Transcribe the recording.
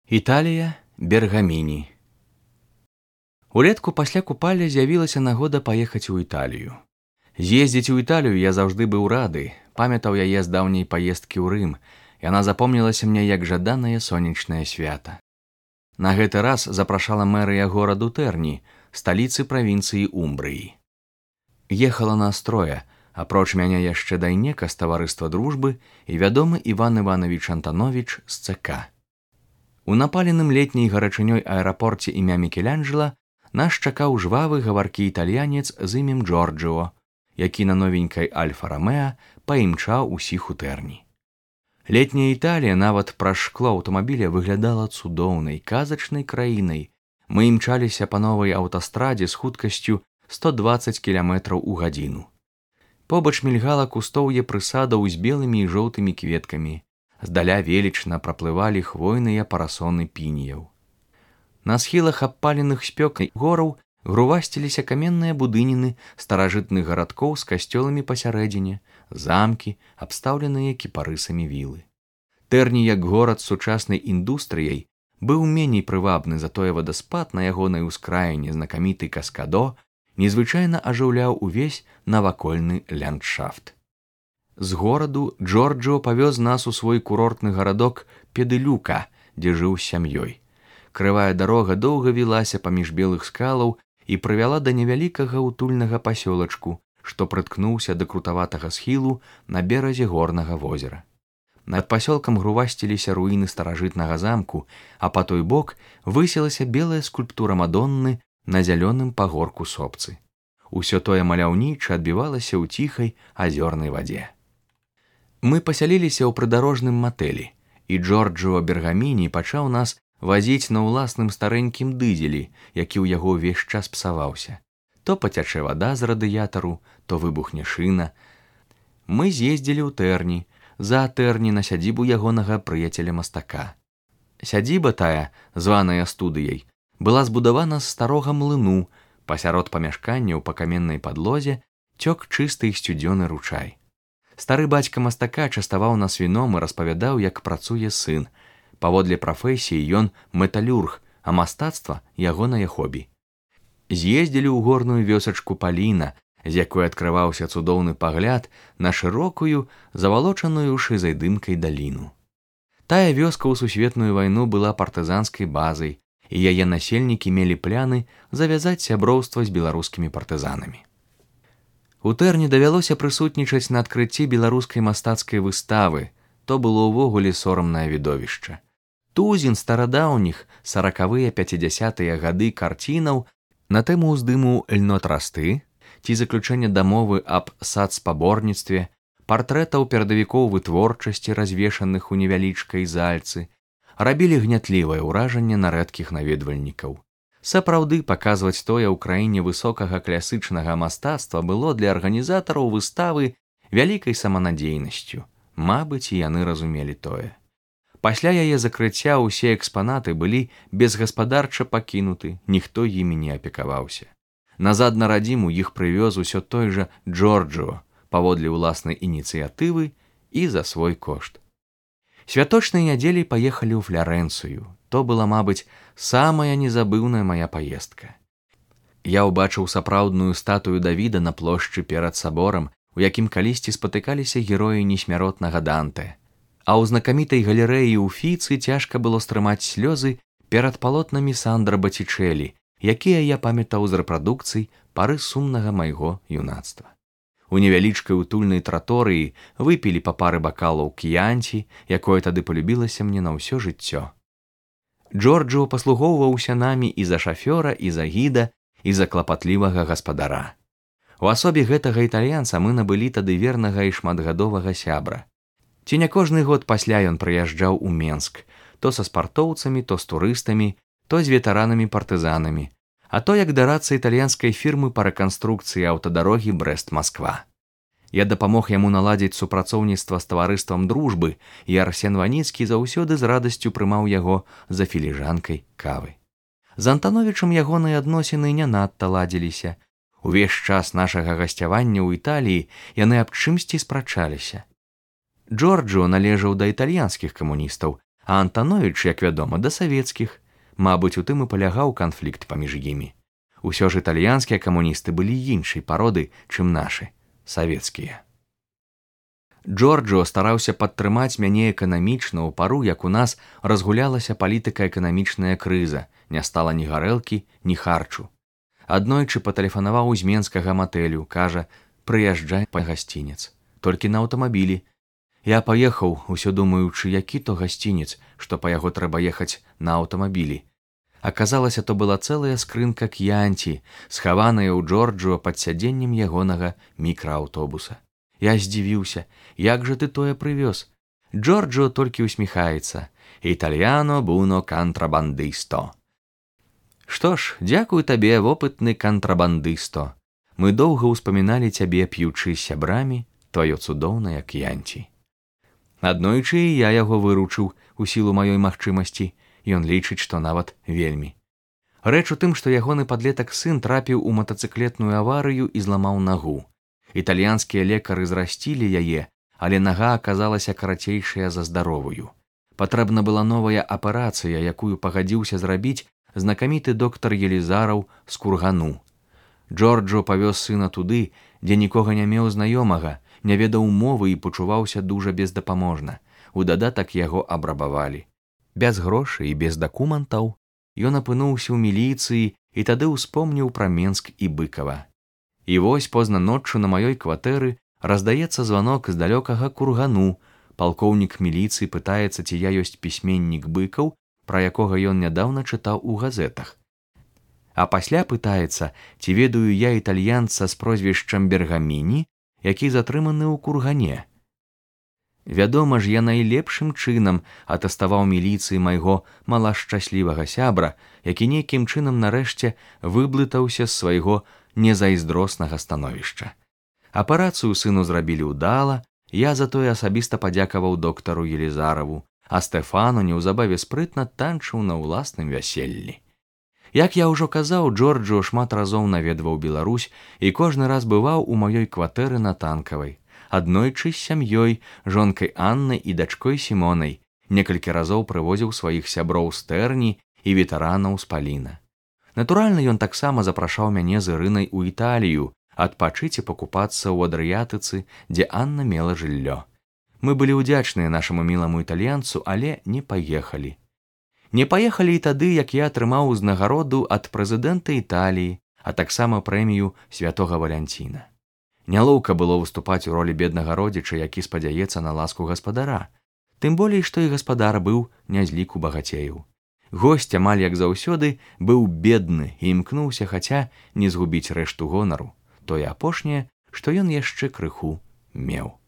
Італія, Бергаміні. Улетку пасля купалі з'явілася нагода паехаць у Італію. З'ездзіць у Італію я заўжды быў рады, памятаў яе з даўняй паездкі ў Рым. Яна запомнілася мне як жаданае сонечнае свята. На гэты раз запрашала мэрыя гораду Тэрні, сталіцы правінцыі Умбрыі. Ехала нас трое, апроч мяне яшчэ дайнека з таварыства дружбы і вядомы Іван Іванович Антанович з ЦК. У напаленым летняй гарачынёй аэрапорце імя Мікеланджела нас чакаў жвавы гаваркі італьянец з імем Джорджио, які на новенькай Альфа-Ромеа паімчаў усіх у Тэрні. Летняя Італія нават праз шкло аўтамабіля выглядала цудоўнай, казачнай краінай. Мы імчаліся па новай аўтастрадзе з хуткасцю 120 км у гадзіну. Побач мільгала кустоўе прысадаў з белымі і жоўтымі кветкамі. Здаля велічна праплывалі хвойныя парасоны пініяў. На схілах абпаленых спёкай гораў грувасціліся каменныя будыніны старажытных гарадкоў з касцёламі пасярэдзіне, замкі, абстаўленыя кіпарысамі вілы. Тэрні, як горад з сучаснай індустрыяй, быў меней прывабны, затое вадаспад на ягонай ускраіне знакаміты Каскадо незвычайна ажыўляў увесь навакольны ландшафт. З гораду Джорджио павёз нас у свой курортны гарадок Педылюка, дзе жыў з сям'ёй. Крывая дарога доўга вілася паміж белых скалаў і прывяла да невялікага утульнага пасёлачку, што прыткнуўся да крутаватага схілу на беразе горнага возера. Над пасёлкам грувасціліся руіны старажытнага замку, а па той бок высілася белая скульптура Мадонны на зялёным пагорку сопцы. Усё тое маляўніча адбівалася ў ціхай азёрнай вадзе. Мы пасяліліся ў прыдарожным матэлі, і Джорджио Бергаміні пачаў нас вазіць на ўласным старэнькім дызелі, які ў яго ўвесь час псаваўся. То пацячэ вада з радыятару, то выбухне шына. Мы з'ездзілі ў Тэрні, за Тэрні на сядзібу ягонага прыяцеля-мастака. Сядзіба тая, званая студыяй, была збудавана з старога млыну, пасярод памяшканняў па каменнай падлозе цёк чысты і сцюдзёны ручай. Стары бацька мастака частаваў нас віном і распавядаў, як працуе сын. Паводле прафесіі ён металюрг, а мастацтва ягонае хобі. З'ездзілі ў горную вёсачку Паліна, з якой адкрываўся цудоўны пагляд на шырокую, завалочаную шызай дымкай даліну. Тая вёска ў сусветную вайну была партызанскай базай, і яе насельнікі мелі пляны завязаць сяброўства з беларускімі партызанамі. У Тэрні давялося прысутнічаць на адкрыцці беларускай мастацкай выставы. То было ўвогуле сорамнае відовішча. Тузін старадаўніх 40-50-е гады карцінаў на тэму ўздыму льнотрасты ці заключэння дамовы аб сацспаборніцтве, партрэтаў перадавікоў вытворчасці, развешаных у невялічкай зальцы, рабілі гнятлівае ўражанне на рэдкіх наведвальнікаў. Сапраўды, паказваць тое ў краіне высокага класычнага мастацтва было для арганізатараў выставы вялікай саманадзейнасцю. Мабыць, і яны разумелі тое. Пасля яе закрыцця ўсе экспанаты былі безгаспадарча пакінуты, ніхто імі не апекаваўся. Назад на радзіму іх прывёз усё той жа Джорджио, паводле ўласнай ініцыятывы і за свой кошт. Святочнай нядзелей паехалі ў Флярэнцыю. То была, мабыць, самая незабыўная мая паездка. Я ўбачыў сапраўдную статую Давіда на плошчы перад саборам, у якім калісьці спатыкаліся героі несмяротнага Данте. А ў знакамітай галерэі ў Фіцы цяжка было стрымаць слёзы перад палотнамі Сандра Батичэлі, якія я памятаў з рэпрадукцый пары сумнага майго юнацтва. У невялічкай утульнай траторыі выпілі па пары бакалаў к'янці, якое тады полюбілася мне на ўсё жыццё. Джорджио паслугоўваўся намі і за шафёра, і за гіда, і за клапатлівага гаспадара. У асобе гэтага італьянца мы набылі тады вернага і шматгадовага сябра. Ці не кожны год пасля ён прыязджаў у Менск, то са спартоўцамі, то з турыстамі, то з ветэранамі-партызанамі, а то як дарацца італьянскай фірмы па рэканструкцыі аўтадарогі Брэст-Масква. Я дапамог яму наладзіць супрацоўніцтва з таварыствам дружбы, і Арсен Ваніцкі заўсёды з радасцю прымаў яго за філіжанкай кавы. З Антановічам ягоныя адносіны не надта ладзіліся. Увесь час нашага гасцявання ў Італіі яны аб чымсьці спрачаліся. Джорджио належаў да італьянскіх камуністаў, А Антановіч, як вядома, да савецкіх. Мабыць, у тым і палягаў канфлікт паміж імі. Усё ж італьянскія камуністы былі іншай пароды, чым нашы, савецкія. Джорджо стараўся падтрымаць мяне эканамічна ў пару, як у нас разгулялася палітыка-эканамічная крыза, не стала ні гарэлкі, ні харчу. Аднойчы патэлефанаваў з менскага матэлю, кажа, прыязджай па гасцінец, толькі на аўтамабілі. Я паехаў, усё думаючы, які то гасцінец, што па яго трэба ехаць на аўтамабілі. Аказалася, то была цэлая скрынка к'янці, схаваная ў Джорджо пад сядзеннем ягонага мікрааўтобуса. Я здзівіўся, як жа ты тое прывёз? Джорджо толькі ўсміхаецца. Італьяно буно кантрабандысто. Што ж, дзякую табе, вопытны кантрабандысто. Мы доўга ўспаміналі цябе, п'ючы з сябрамі, тваё цудоўнае к'янці. Аднойчы і я яго выручыў у сілу маёй магчымасці. Ён лічыць, што нават вельмі. Рэч у тым, што ягоны падлетак сын трапіў у матацыклетную аварыю і зламаў нагу. Італьянскія лекары зрасцілі яе, але нага аказалася карацейшая за здаровую. Патрэбна была новая аперацыя, якую пагадзіўся зрабіць знакаміты доктар Елізараў з Кургану. Джорджо павёз сына туды, дзе нікога не меў знаёмага, не ведаў мовы і пачуваўся дужа бездапаможна. У дадатак яго абрабавалі. Без грошай і без дакументаў ён апынуўся ў міліцыі і тады ўспомніў пра Менск і Быкава. І вось позна ноччу на маёй кватэры раздаецца званок з далёкага Кургану. Палкоўнік міліцыі пытаецца, ці я ёсць пісьменнік Быкаў, пра якога ён нядаўна чытаў у газетах. А пасля пытаецца, ці ведаю я італьянца з прозвішчам Бергаміні, які затрыманы ў Кургане. Вядома ж, я найлепшым чынам атэставаў міліцыі майго малашчаслівага сябра, які нейкім чынам нарэшце выблытаўся з свайго незайздроснага становішча. Аперацыю сыну зрабілі ўдала, я затое асабіста падзякаваў доктару Елізараву, а Стэфану неўзабаве спрытна танчыў на ўласным вяселлі. Як я ўжо казаў, Джорджо шмат разоў наведваў Беларусь і кожны раз бываў у маёй кватэры на Танкавай. Аднойчы з сям'ёй, жонкай Аннай і дачкой Сімонай, некалькі разоў прывозіў сваіх сяброў з Тэрні і ветэранаў з Паліна. Натуральна, ён таксама запрашаў мяне з Ірынай у Італію, адпачыць і пакупацца ў Адрыятыцы, дзе Анна мела жыллё. Мы былі ўдзячныя нашаму міламу італьянцу, але не паехалі. Не паехалі і тады, як я атрымаў узнагароду ад прэзідэнта Італіі, а таксама прэмію святога Валянціна. Нялоўка было выступаць у ролі беднага родзіча, які спадзяецца на ласку гаспадара. Тым болей, што і гаспадар быў не з ліку багацеяў. Госць, амаль як заўсёды, быў бедны і імкнуўся хаця не згубіць рэшту гонару, тое апошняе, што ён яшчэ крыху меў.